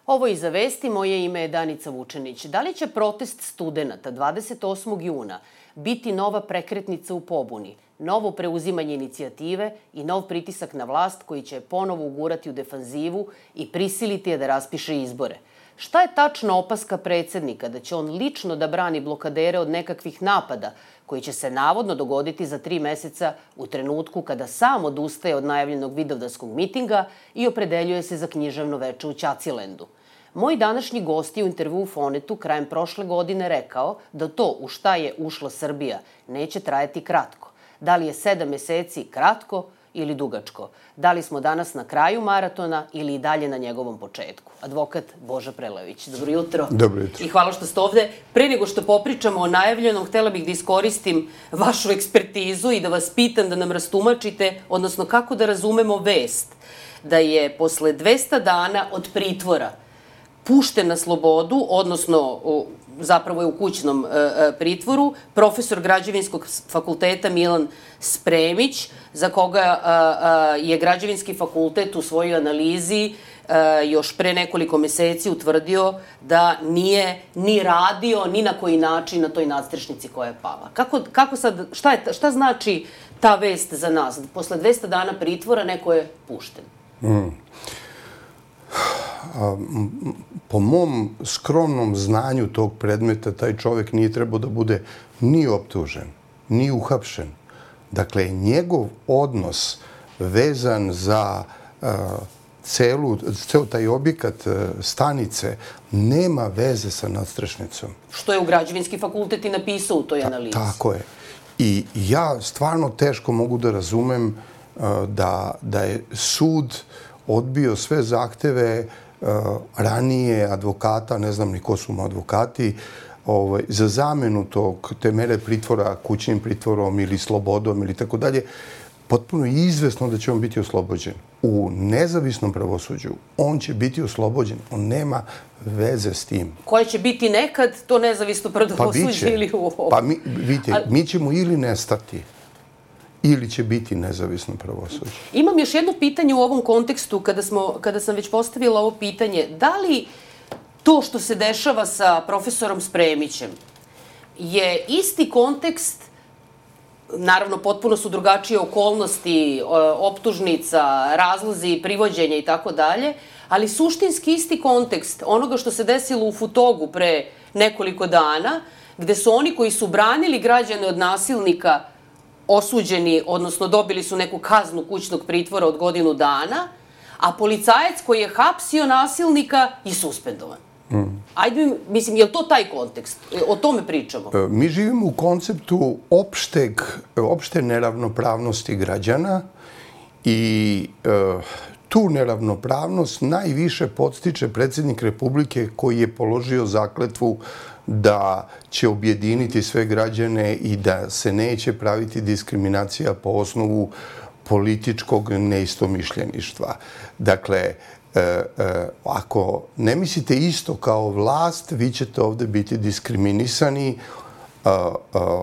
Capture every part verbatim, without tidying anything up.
Ovo je Iza vesti, moje ime je Danica Vučenić. Da li će protest studenata dvadeset osmog juna biti nova prekretnica u pobuni, novo preuzimanje inicijative i nov pritisak na vlast koji će ponovo ugurati u defanzivu i prisiliti je da raspiše izbore? Šta je tačna opaska predsednika da će on lično da brani blokadere od nekakvih napada koji će se navodno dogoditi za tri meseca u trenutku kada sam odustaje od najavljenog vidovdanskog mitinga i opredeljuje se za književno veče u Ćacilendu? Moj današnji gost je u intervjuu u Fonetu krajem prošle godine rekao da to u šta je ušla Srbija neće trajati kratko. Da li je sedam meseci kratko ili dugačko? Da li smo danas na kraju maratona ili i dalje na njegovom početku? Advokat Boža Prelević. Dobro jutro. Dobro jutro. I hvala što ste ovde. Pre nego što popričamo o najavljenom, htela bih da iskoristim vašu ekspertizu i da vas pitam da nam rastumačite, odnosno kako da razumemo vest da je posle dvesta dana od pritvora pušten na slobodu, odnosno zapravo je u kućnom pritvoru, profesor Građevinskog fakulteta Milan Spremić, za koga je Građevinski fakultet u svojoj analizi još pre nekoliko meseci utvrdio da nije ni radio ni na koji način na toj nadstrešnici koja je pala. Kako, kako sad, šta, je, šta znači ta vest za nas? Posle dvesta dana pritvora neko je pušten. Mm. Po mom skromnom znanju tog predmeta, taj čovek nije trebao da bude ni optužen, ni uhapšen. Dakle, njegov odnos vezan za uh, celu, ceo taj objekat uh, stanice nema veze sa nadstrešnicom. Što je u Građevinski fakultet i napisao u toj analizi. Ta, tako je. I ja stvarno teško mogu da razumem uh, da, da je sud odbio sve zahteve uh, ranije advokata, ne znam ni ko su mu advokati, ovaj, za zamenu tog, te mere pritvora kućnim pritvorom ili slobodom ili tako dalje. Potpuno je izvesno da će on biti oslobođen. U nezavisnom pravosuđu on će biti oslobođen. On nema veze s tim. Koje će biti nekad to nezavisno pravosuđe pa ili u ovo? Pa mi, vidite, A... mi ćemo ili nestati, ili će biti nezavisno pravosuđe. Imam još jedno pitanje u ovom kontekstu, kada, smo, kada sam već postavila ovo pitanje. Da li to što se dešava sa profesorom Spremićem je isti kontekst, naravno potpuno su drugačije okolnosti, optužnica, razlozi, privođenja i tako dalje, ali suštinski isti kontekst onoga što se desilo u Futogu pre nekoliko dana, gde su oni koji su branili građane od nasilnika osuđeni, odnosno dobili su neku kaznu kućnog pritvora od godinu dana, a policajac koji je hapsio nasilnika je suspendovan. Mm. Ajde, mislim, je li to taj kontekst? O tome pričamo. Mi živimo u konceptu opšteg, opšte neravnopravnosti građana i e, tu neravnopravnost najviše podstiče predsjednik Republike koji je položio zakletvu da će objediniti sve građane i da se neće praviti diskriminacija po osnovu političkog neistomišljeništva. Dakle, e, e, ako ne mislite isto kao vlast, vi ćete ovde biti diskriminisani a, a,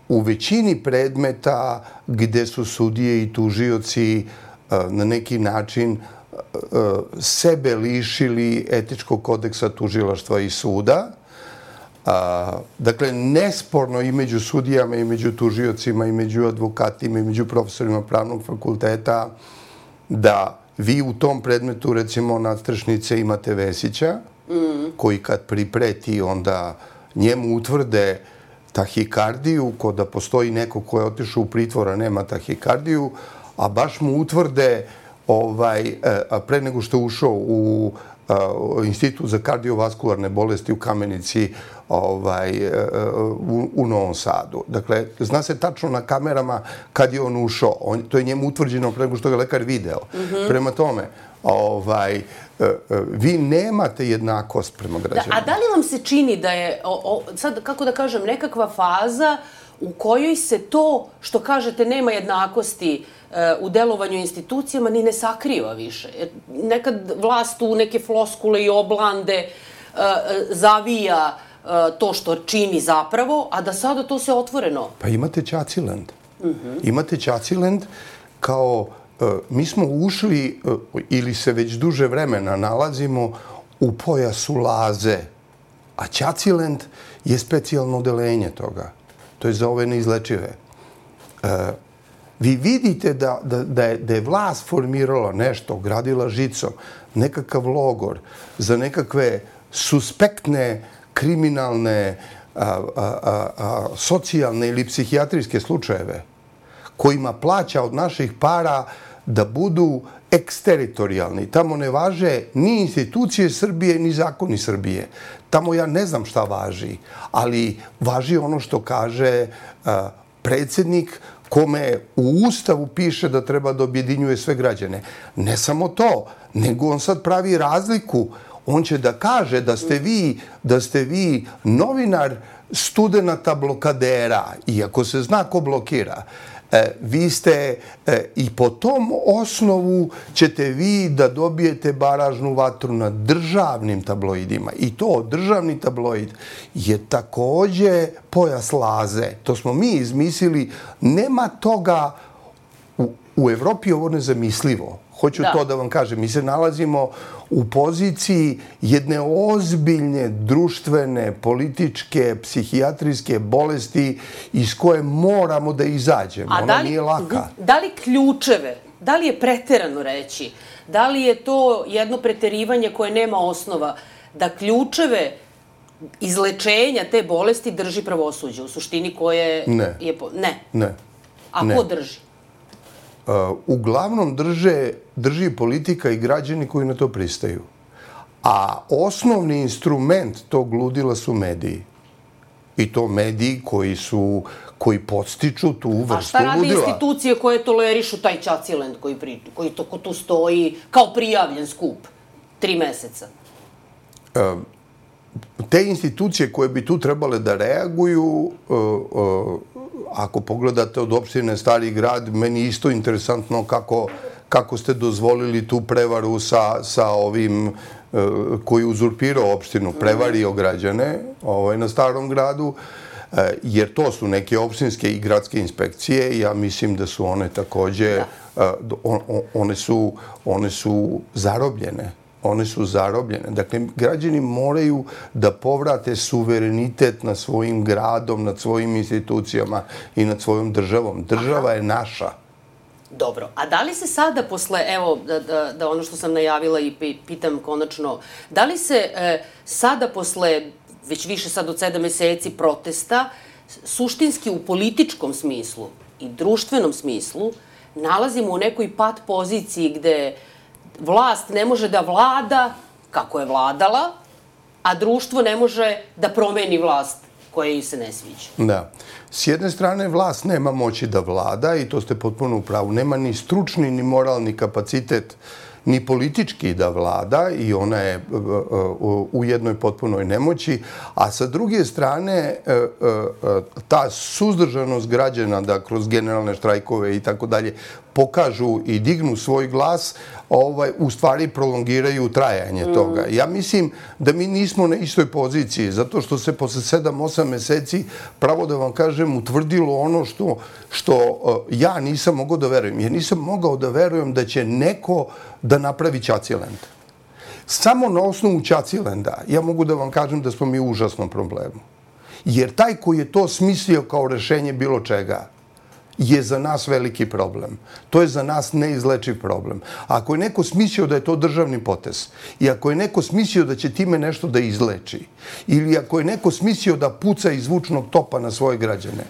u većini predmeta gde su sudije i tužioci a, na neki način a, sebe lišili etičkog kodeksa tužilaštva i suda. A, dakle, nesporno i među sudijama, i među tužiocima, i među advokatima, i među profesorima pravnog fakulteta da vi u tom predmetu, recimo, nadstrešnice imate Vesića, mm. koji kad pripreti, onda njemu utvrde tahikardiju, ko da postoji neko ko je otišao u pritvor, a nema tahikardiju, a baš mu utvrde ovaj, a pre nego što je ušao u Institut za kardiovaskularne bolesti u Kamenici ovaj, u, u Novom Sadu. Dakle, zna se tačno na kamerama kad je on ušao. On, to je njemu utvrđeno pre nego što ga lekar video. Mm-hmm. Prema tome, ovaj, vi nemate jednakost prema građanima. Da, a da li vam se čini da je, o, o, sad kako da kažem, nekakva faza u kojoj se to, što kažete, nema jednakosti u delovanju institucijama, ni ne sakriva više? Nekad vlast u neke floskule i oblande zavija to što čini zapravo, a da sada to se otvoreno... Pa imate Ćaciland. Mm-hmm. Imate Ćaciland kao... Mi smo ušli, ili se već duže vremena nalazimo, u pojasu Laze, a Ćacilend je specijalno odelenje toga. To je za ove neizlečive. Vi vidite da, da, da, je, da je vlast formirala nešto, gradila žicom, nekakav logor za nekakve suspektne, kriminalne, a, a, a, a, socijalne ili psihijatrijske slučajeve, kojima plaća od naših para da budu eksteritorijalni. Tamo ne važe ni institucije Srbije, ni zakoni Srbije. Tamo ja ne znam šta važi, ali važi ono što kaže a, predsjednik, kome u Ustavu piše da treba da objedinjuje sve građane. Ne samo to, nego on sad pravi razliku. On će da kaže da ste vi, da ste vi novinar studenata blokadera, iako se zna ko blokira. E, vi ste e, i po tom osnovu ćete vi da dobijete baražnu vatru na državnim tabloidima. I to državni tabloid je takođe pojas Laze. To smo mi izmislili. Nema toga u, u Evropi, ovo nezamislivo. Hoću da. to da vam kažem. Mi se nalazimo u poziciji jedne ozbiljne društvene, političke, psihijatrijske bolesti iz koje moramo da izađemo. A Ona da li, nije laka. Da li ključeve, da li je preterano reći, da li je to jedno preterivanje koje nema osnova, da ključeve izlečenja te bolesti drži pravosuđe, u suštini koje ne. je... Po... Ne. Ne. A ne. ko drži? Uh, uglavnom drže, drži politika i građani koji na to pristaju. A osnovni instrument tog ludila su mediji. I to mediji koji su, koji podstiču tu vrstu ludila. A šta radi ludila. Institucije koje tolerišu taj Ćacilend koji, pri, koji to, ko tu stoji kao prijavljen skup tri meseca? Uh, te institucije koje bi tu trebale da reaguju, uh, uh, ako pogledate od opštine Stari grad, meni isto interesantno kako, kako ste dozvolili tu prevaru sa, sa ovim uh, koji uzurpirao opštinu, prevario građane ovaj, na Starom gradu, uh, jer to su neke opštinske i gradske inspekcije i ja mislim da su one takođe, uh, on, one, su, one su zarobljene. One su zarobljene. Dakle, građani moraju da povrate suverenitet nad svojim gradom, nad svojim institucijama i nad svojom državom. Država je naša. Dobro. A da li se sada posle, evo, da, da, da ono što sam najavila i pitam konačno, da li se e, sada posle, već više sad od sedam meseci protesta, suštinski u političkom smislu i društvenom smislu, nalazimo u nekoj pat poziciji gde vlast ne može da vlada kako je vladala, a društvo ne može da promeni vlast koja joj se ne sviđa. Da. S jedne strane, vlast nema moći da vlada i to ste potpuno u pravu. Nema ni stručni, ni moralni kapacitet, ni politički da vlada i ona je u jednoj potpunoj nemoći. A sa druge strane, ta suzdržanost građana da kroz generalne štrajkove i tako dalje pokažu i dignu svoj glas, ovaj, u stvari prolongiraju trajanje toga. Ja mislim da mi nismo na istoj poziciji, zato što se posle sedam osam meseci, pravo da vam kažem, utvrdilo ono što, što ja nisam mogao da verujem. Ja nisam mogao da verujem da će neko da napravi Ćacilend. Samo na osnovu Ćacilenda ja mogu da vam kažem da smo mi u užasnom problemu. Jer taj koji je to smislio kao rešenje bilo čega, je za nas veliki problem. To je za nas neizlečiv problem. Ako je neko smislio da je to državni potez i ako je neko smislio da će time nešto da izleči ili ako je neko smislio da puca iz zvučnog topa na svoje građane,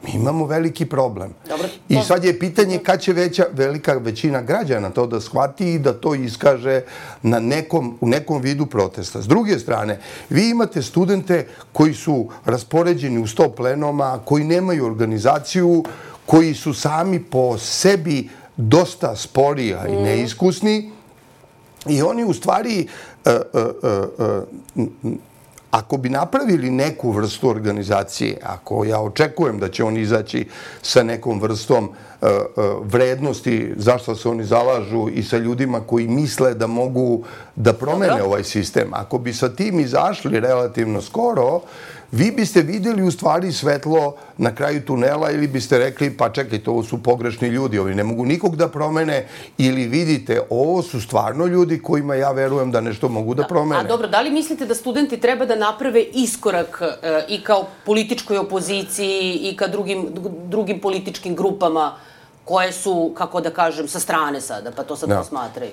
mi imamo veliki problem. Dobro, I sad je pitanje kad će veća, velika većina građana to da shvati i da to iskaže na nekom, u nekom vidu protesta. S druge strane, vi imate studente koji su raspoređeni u sto plenoma, koji nemaju organizaciju, koji su sami po sebi dosta spori, a i neiskusni. I oni u stvari, uh, uh, uh, uh, ako bi napravili neku vrstu organizacije, ako ja očekujem da će oni izaći sa nekom vrstom uh, uh, vrednosti zašto se oni zalažu i sa ljudima koji misle da mogu da promene ovaj sistem, ako bi sa tim izašli relativno skoro, vi biste vidjeli u stvari svetlo na kraju tunela ili biste rekli pa čekajte, ovo su pogrešni ljudi, ovi ne mogu nikog da promene, ili vidite ovo su stvarno ljudi kojima ja verujem da nešto mogu da promene. A dobro, da li mislite da studenti treba da naprave iskorak i kao političkoj opoziciji i ka drugim, drugim političkim grupama koje su, kako da kažem, sa strane sada, pa to sad posmatraju?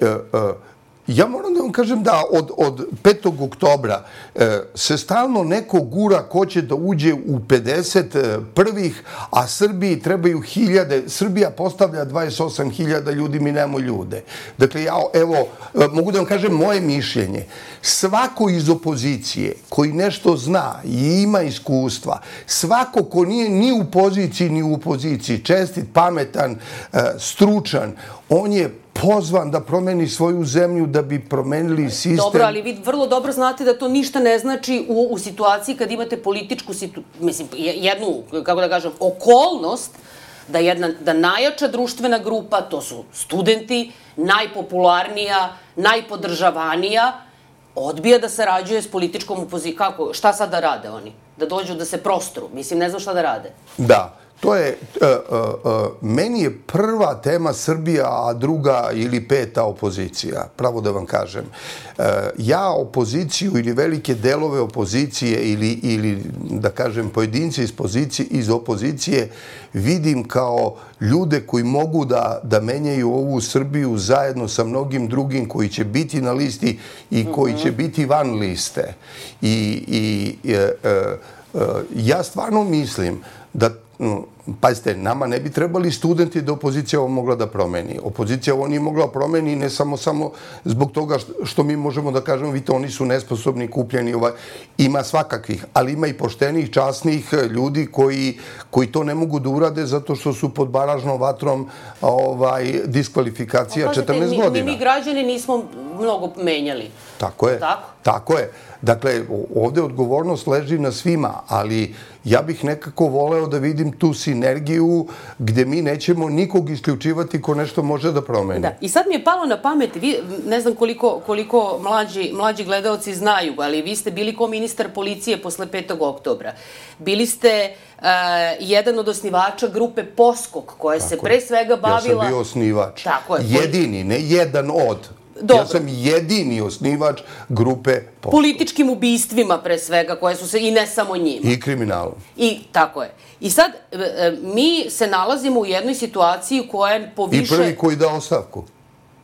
Ja moram da vam kažem da od, od petog oktobra e, se stalno neko gura ko će da uđe u pedeset prvih, a Srbiji trebaju hiljade. Srbija postavlja dvadeset osam hiljada ljudi, mi nemamo ljude. Dakle, ja, evo, mogu da vam kažem moje mišljenje. Svako iz opozicije koji nešto zna i ima iskustva, svako ko nije ni u poziciji ni u opoziciji, čestit, pametan, e, stručan, on je pozvan da promeni svoju zemlju, da bi promenili sistem. Dobro, ali vi vrlo dobro znate da to ništa ne znači u, u situaciji kad imate političku situ, mislim, jednu, kako da kažem, okolnost da jedna, da najjača društvena grupa, to su studenti, najpopularnija, najpodržavanija, odbija da sarađuje s političkom opozicijom. Kako? Šta sad da rade oni? Da dođu da se prostru? Mislim, ne znam šta da rade. Da. To je, uh, uh, uh, meni je prva tema Srbija, a druga ili peta opozicija, pravo da vam kažem. Uh, ja opoziciju ili velike delove opozicije ili, ili da kažem, pojedinci iz, pozicije, iz opozicije vidim kao ljude koji mogu da, da menjaju ovu Srbiju zajedno sa mnogim drugim koji će biti na listi i koji će biti van liste. I, i uh, uh, uh, ja stvarno mislim da, pazite, nama ne bi trebali studenti da opozicija ovo mogla da promeni. Opozicija ovo nije mogla promeni ne samo samo zbog toga što mi možemo da kažemo, vidite, oni su nesposobni, kupljeni, ovaj, ima svakakvih, ali ima i poštenih, časnih ljudi koji, koji to ne mogu da urade zato što su pod baražnom vatrom ovaj, diskvalifikacija četrnaest godina. Mi, mi građani nismo mnogo menjali. Tako je. Tako? Tako je. Dakle, ovde odgovornost leži na svima, ali ja bih nekako voleo da vidim tu sinergiju gde mi nećemo nikog isključivati ko nešto može da promeni. Da, i sad mi je palo na pamet, vi, ne znam koliko, koliko mlađi, mlađi gledalci znaju, ali vi ste bili ko ministar policije posle petog oktobra. Bili ste uh, jedan od osnivača grupe Poskok, koja se pre svega bavila... Ja sam bio osnivač. Tako je. Jedini, ne jedan od... Dobro. Ja sam jedini osnivač grupe Poskok. Političkim ubistvima, pre svega, koje su se, i ne samo njima. I kriminalom. I tako je. I sad, mi se nalazimo u jednoj situaciji koja je poviše... I prvi koji dao ostavku.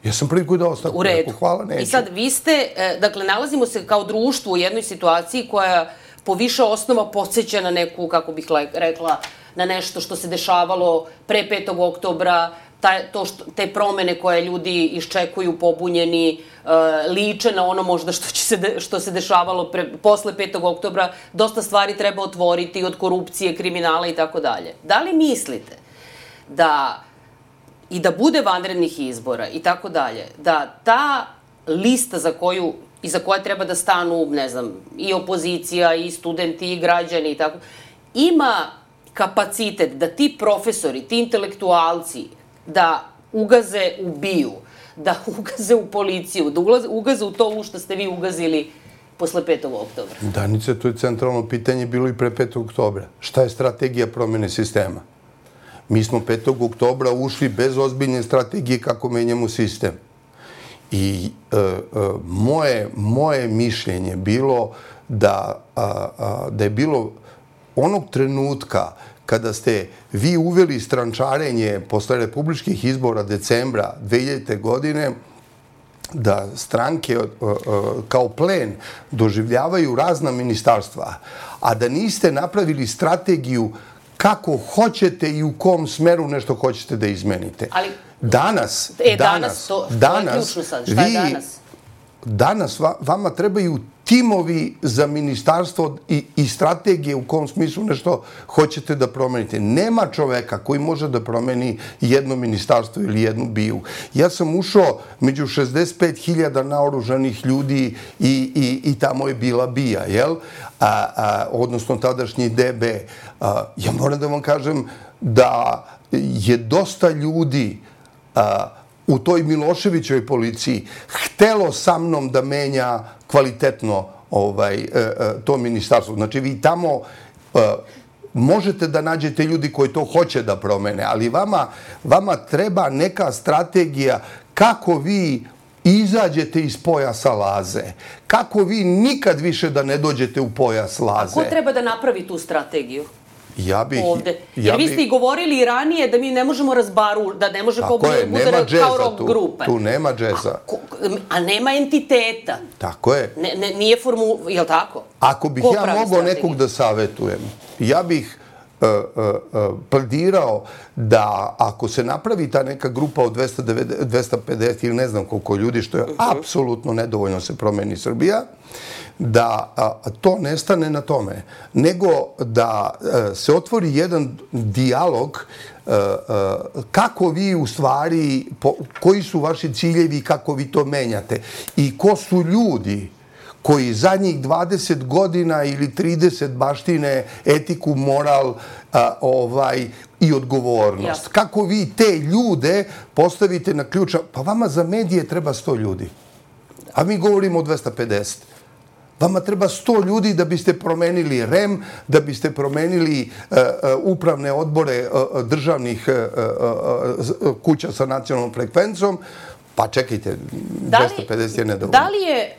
Ja sam prvi koji dao ostavku. U redu. Hvala, neću. I sad, vi ste, dakle, nalazimo se kao društvo u jednoj situaciji koja po više osnova podsjeća na neku, kako bih rekla, na nešto što se dešavalo pre petog oktobra, taj, to što, te promene koje ljudi iščekuju pobunjeni, uh, liče na ono možda što, će se, de, što se dešavalo pre, posle petog oktobra. Dosta stvari treba otvoriti od korupcije, kriminala i tako dalje. Da li mislite da i da bude vanrednih izbora i tako dalje, da ta lista za koju i za koje treba da stanu, ne znam, i opozicija, i studenti, i građani i tako, ima kapacitet da ti profesori, ti intelektualci, da ugaze u BIA-u, da ugaze u policiju, da ugaze u to u što ste vi ugazili posle petog oktobra? Danice, to je centralno pitanje bilo i pre petog oktobra. Šta je strategija promene sistema? Mi smo petog oktobra ušli bez ozbiljne strategije kako menjamo sistem. I e, e, moje, moje mišljenje bilo da, a, a, da je bilo onog trenutka kada ste vi uveli strančarenje posle republičkih izbora decembra dve hiljadite. godine, da stranke kao plen doživljavaju razna ministarstva, a da niste napravili strategiju kako hoćete i u kom smeru nešto hoćete da izmenite. Ali, danas, e, danas, danas, to, danas, to je ključno sad. Šta je vi, danas? Danas vama trebaju timovi za ministarstvo i, i strategije u kom smislu nešto hoćete da promenite. Nema čoveka koji može da promeni jedno ministarstvo ili jednu BIA-u. Ja sam ušao među šezdeset pet hiljada naoružanih ljudi i, i, i tamo je bila BIA, jel? A, a, odnosno tadašnji D B. A, ja moram da vam kažem da je dosta ljudi a, u toj Miloševićevoj policiji htelo sa mnom da menja kvalitetno ovaj, to ministarstvo. Znači, vi tamo možete da nađete ljudi koji to hoće da promene, ali vama, vama treba neka strategija kako vi izađete iz pojasa Laze. Kako vi nikad više da ne dođete u pojas Laze. A ko treba da napravi tu strategiju? Ja bih... Ovde. Jer vi ste i govorili i ranije da mi ne možemo razbaru, da ne može ko bude kao rock grupe. Tu nema džeza. A nema entiteta. Tako je. Nije formu... Je li tako? Ako bih ja mogao nekog da savetujem, ja bih pledirao da ako se napravi ta neka grupa od dvesta pedeset ili ne znam koliko ljudi, što je apsolutno nedovoljno se promeni Srbija, da to ne stane na tome, nego da se otvori jedan dijalog kako vi u stvari, koji su vaši ciljevi i kako vi to menjate i ko su ljudi koji zadnjih dvadeset godina ili trideset baštine etiku, moral i odgovornost. Kako vi te ljude postavite na ključa? Pa vama za medije treba sto ljudi. A mi govorimo o dvesta pedeset. Vama treba sto ljudi da biste promenili R E M, da biste promenili upravne odbore državnih kuća sa nacionalnom frekvencom. Pa čekajte, dvesta pedeset je nedovoljno. Da li je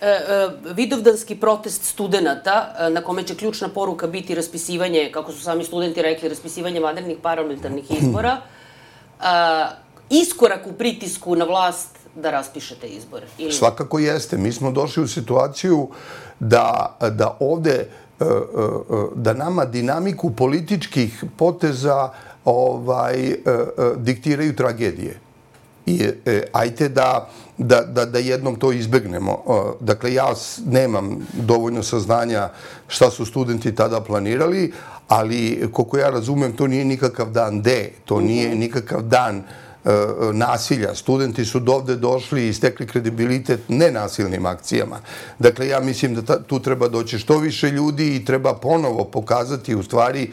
vidovdanski protest studenta, na kome će ključna poruka biti raspisivanje, kako su sami studenti rekli, raspisivanje vanrednih parlamentarnih izbora, iskorak u pritisku na vlast da raspišete izbore? Svakako jeste. Mi smo došli u situaciju da ovde, da nama dinamiku političkih poteza diktiraju tragedije. I ajte da jednom to izbegnemo. Dakle, ja nemam dovoljno saznanja šta su studenti tada planirali, ali koliko ja razumem, to nije nikakav dan D, to nije nikakav dan nasilja. Studenti su dovde došli i stekli kredibilitet nenasilnim akcijama. Dakle, ja mislim da tu treba doći što više ljudi i treba ponovo pokazati u stvari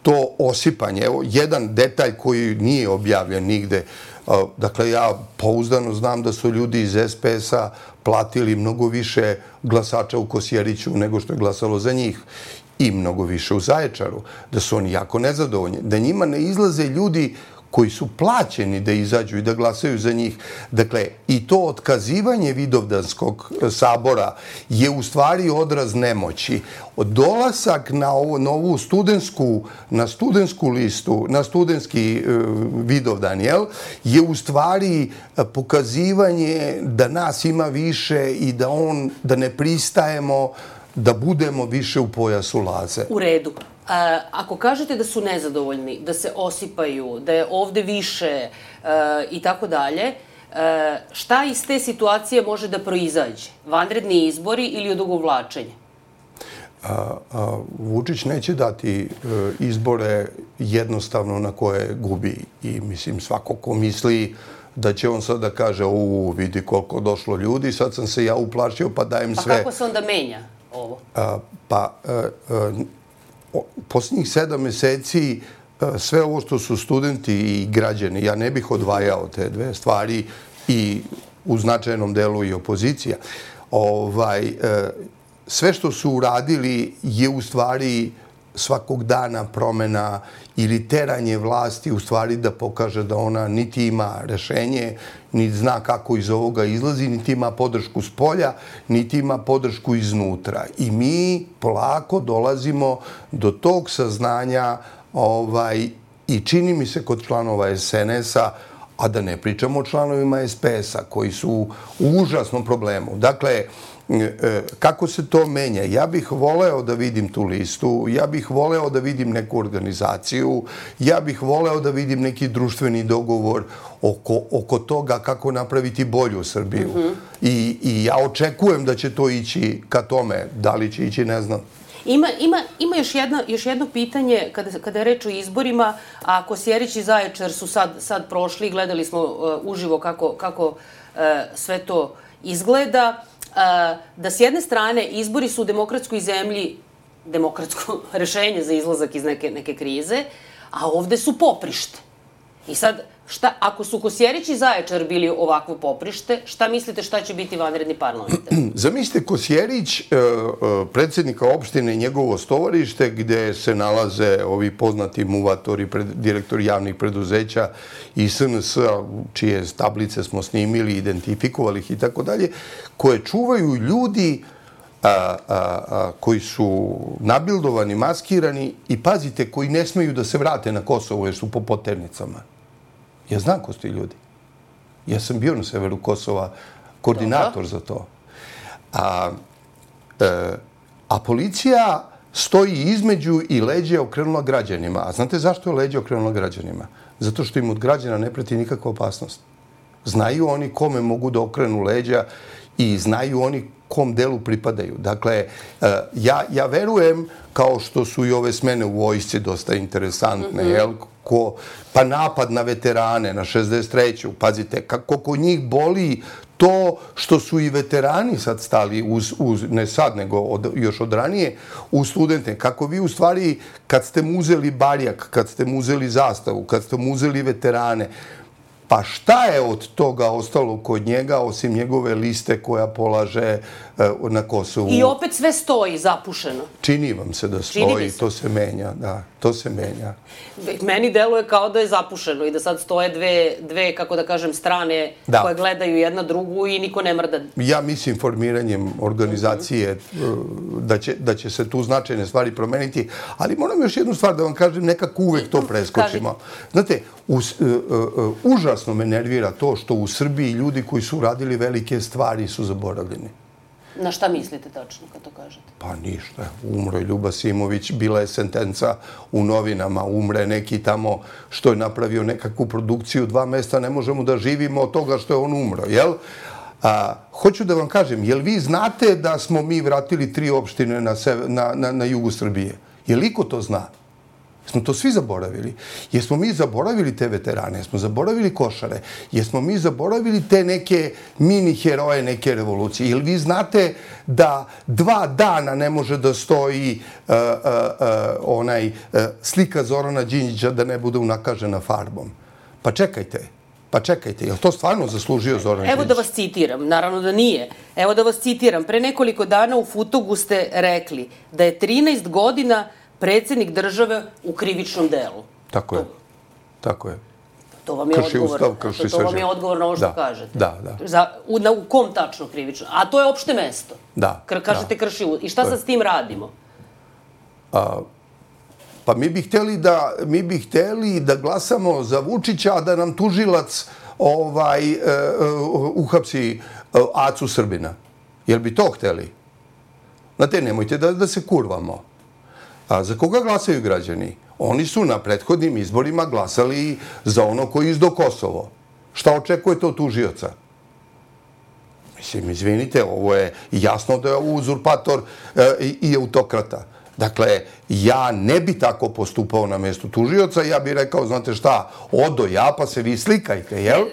to osipanje. Evo, jedan detalj koji nije objavljen nigde. Dakle, ja pouzdano znam da su ljudi iz S P S-a platili mnogo više glasača u Kosjeriću nego što je glasalo za njih i mnogo više u Zaječaru. Da su oni jako nezadovoljni. Da njima ne izlaze ljudi koji su plaćeni da izađu i da glasaju za njih. Dakle, i to otkazivanje Vidovdanskog sabora je u stvari odraz nemoći. Dolazak na ovu studentsku, na studentsku listu, na studentski Vidovdan, jel, je u stvari pokazivanje da nas ima više i da on, da ne pristajemo da budemo više u pojasu Laze. U redu. Ako kažete da su nezadovoljni, da se osipaju, da je ovde više i tako dalje, šta iz te situacije može da proizađe? Vanredni izbori ili odugovlačenje? Vučić neće dati izbore jednostavno na koje gubi. I mislim, svako ko misli da će on sad da kaže, u, vidi koliko došlo ljudi, sad sam se ja uplašio pa dajem sve. Pa kako se onda menja ovo? Pa, posljednjih sedam meseci sve ovo što su studenti i građani, ja ne bih odvajao te dve stvari i u značajnom delu i opozicija. Sve što su uradili je u stvari svakog dana promena ili teranje vlasti u stvari da pokaže da ona niti ima rešenje, niti zna kako iz ovoga izlazi, niti ima podršku s polja, niti ima podršku iznutra. I mi polako dolazimo do tog saznanja i čini mi se kod članova S N S-a, a da ne pričamo o članovima S P S-a koji su u užasnom problemu. Dakle, kako se to menja? Ja bih voleo da vidim tu listu, ja bih voleo da vidim neku organizaciju, ja bih voleo da vidim neki društveni dogovor oko toga kako napraviti bolju Srbiju. I ja očekujem da će to ići ka tome. Da li će ići, ne znam. Ima još jedno pitanje, kada je reč o izborima, a Kosjerić i Zaječar su sad prošli, gledali smo uživo kako sve to izgleda, da s jedne strane izbori su u demokratskoj zemlji demokratsko rešenje za izlazak iz neke krize, a ovde su poprište. I sad, šta, ako su Kosjerić i Zaječar bili ovakvo poprište, šta mislite šta će biti vanredni parlamentar? Zamislite Kosjerić, predsjednika opštine i njegovo stovarište, gde se nalaze ovi poznati muvatori, direktori javnih preduzeća i S N S-a, čije tablice smo snimili, identifikovali ih i tako dalje, koje čuvaju ljudi A, a, a, koji su nabildovani, maskirani i, pazite, koji ne smeju da se vrate na Kosovo jer su po poternicama. Ja znam ko su ti ljudi. Ja sam bio na severu Kosova koordinator za to. A, e, a policija stoji između i leđe je okrenula građanima. A znate zašto je leđe okrenula građanima? Zato što im od građana ne preti nikakva opasnost. Znaju oni kome mogu da okrenu leđa i znaju oni kom delu pripadaju. Dakle, ja, ja verujem, kao što su i ove smene u vojsci dosta interesantne, mm-hmm. jel? Ko, pa napad na veterane, na šezdeset treću Pazite, kako kod njih boli to što su i veterani sad stali, uz, uz, ne sad, nego od, još od ranije, u studente. Kako vi u stvari, kad ste mu uzeli barjak, kad ste mu uzeli zastavu, kad ste mu uzeli veterane, pa šta je od toga ostalo kod njega, osim njegove liste koja polaže uh, na Kosovu? I opet sve stoji zapušeno. Čini vam se da stoji, to se menja, da, to se menja. Meni deluje kao da je zapušeno i da sad stoje dve, dve kako da kažem, strane da. koje gledaju jedna drugu i niko ne mrda. Ja mislim formiranjem organizacije mm-hmm. da, će, da će se tu značajne stvari promeniti, ali moram još jednu stvar da vam kažem, nekako uvek to preskočimo. Znate, us, uh, uh, užasno me nervira to što u Srbiji ljudi koji su radili velike stvari su zaboravljeni. Na šta mislite tačno kad to kažete? Pa ništa. Umro je Ljuba Simović, bila je sentenca u novinama, umre neki tamo što je napravio nekakvu produkciju, dva mesta, ne možemo da živimo od toga što je on umro, jel? A, hoću da vam kažem, jel vi znate da smo mi vratili tri opštine na, na, na, na jugu Srbije? Jel iko to zna? Smo to svi zaboravili. Jesmo mi zaboravili te veterane, jesmo zaboravili Košare, jesmo mi zaboravili te neke mini heroje neke revolucije. Jel vi znate da dva dana ne može da stoji uh, uh, uh, onaj uh, slika Zorana Đinđića da ne bude unakažena farbom? Pa čekajte. Pa čekajte, je li to stvarno zaslužio Zoran Đinđić? Evo da vas citiram, naravno da nije. Evo da vas citiram. Pre nekoliko dana u Futogu ste rekli da je trinaest godina predsjednik države u krivičnom delu. Tako je. Tako je. To vam je krši odgovor. Ustav, krši to vam je odgovor na ovo što da, kažete. Da, da. Za, u, na, u kom tačno krivično? A to je opšte mesto. Da. Kr, kažete da. krši Ustav. I šta sad s tim radimo? A, pa mi bi htjeli da, mi bi htjeli da glasamo za Vučića, a da nam tužilac ovaj, uh, uh, uhapsi uh, Acu Srbina. Jel bi to htjeli? Znate, nemojte da, da se kurvamo. A za koga glasaju građani? Oni su na prethodnim izborima glasali za ono koji izdo Kosovo. Šta očekujete od tužioca? Mislim, izvinite, ovo je jasno da je uzurpator e, i autokrata. Dakle, ja ne bi tako postupao na mjestu tužioca, ja bih rekao, znate šta, odo ja, pa se vi slikajte, jel?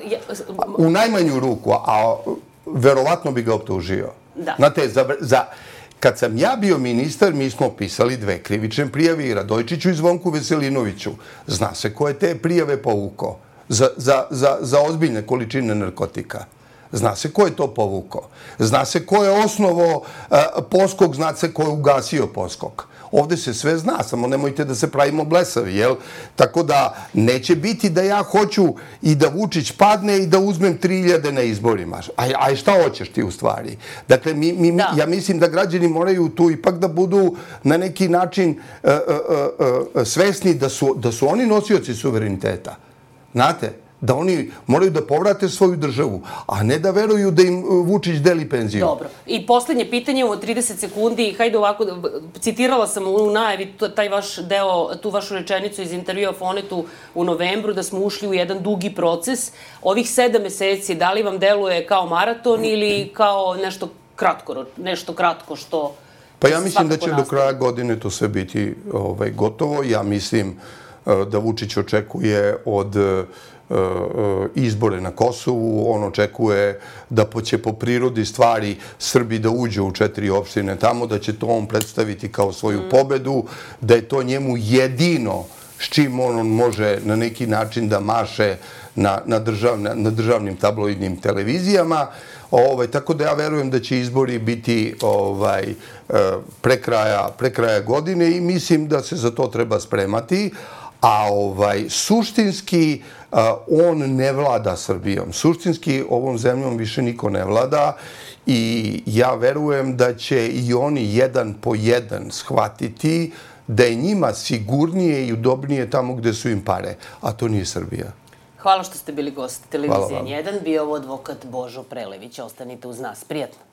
U najmanju ruku, a verovatno bi ga optužio. Da. Znate, za... za Kad sam ja bio ministar, mi smo pisali dve krivične prijave i Radojčiću i Zvonku Veselinoviću. Zna se ko je te prijave povukao za, za, za, za ozbiljne količine narkotika. Zna se ko je to povukao. Zna se ko je osnovo uh, Poskog, zna se ko je ugasio Poskog. Ovde se sve zna, samo nemojte da se pravimo blesavi, jel? Tako da neće biti da ja hoću i da Vučić padne i da uzmem tri hiljade na izborima. A, a šta hoćeš ti u stvari? Dakle, mi, mi, da. ja mislim da građani moraju tu ipak da budu na neki način uh, uh, uh, svesni da su, da su oni nosioci suvereniteta. Znate? Da oni moraju da povrate svoju državu, a ne da veruju da im Vučić deli penziju. Dobro. I posljednje pitanje u trideset sekundi. Hajde ovako, citirala sam u najavi taj vaš deo, tu vašu rečenicu iz intervjua Fonetu u novembru, da smo ušli u jedan dugi proces. Ovih sedam meseci, da li vam deluje kao maraton ili kao nešto kratko, nešto kratko što... Pa ja mislim da će do kraja godine to sve biti ovaj, gotovo. Ja mislim da Vučić očekuje od izbore na Kosovu, on očekuje da će po prirodi stvari Srbi da uđe u četiri opštine tamo, da će to on predstaviti kao svoju pobedu, da je to njemu jedino s čim on može na neki način da maše na, na, državna, na državnim tabloidnim televizijama. Ovaj, tako da ja verujem da će izbori biti ovaj, pre, kraja, pre kraja godine i mislim da se za to treba spremati. A ovaj, suštinski on ne vlada Srbijom. Suštinski ovom zemljom više niko ne vlada i ja verujem da će i oni jedan po jedan shvatiti da je njima sigurnije i udobnije tamo gde su im pare, a to nije Srbija. Hvala što ste bili gost televizije N jedan. Bio ovo advokat Božo Prelević. Ostanite uz nas. Prijatno.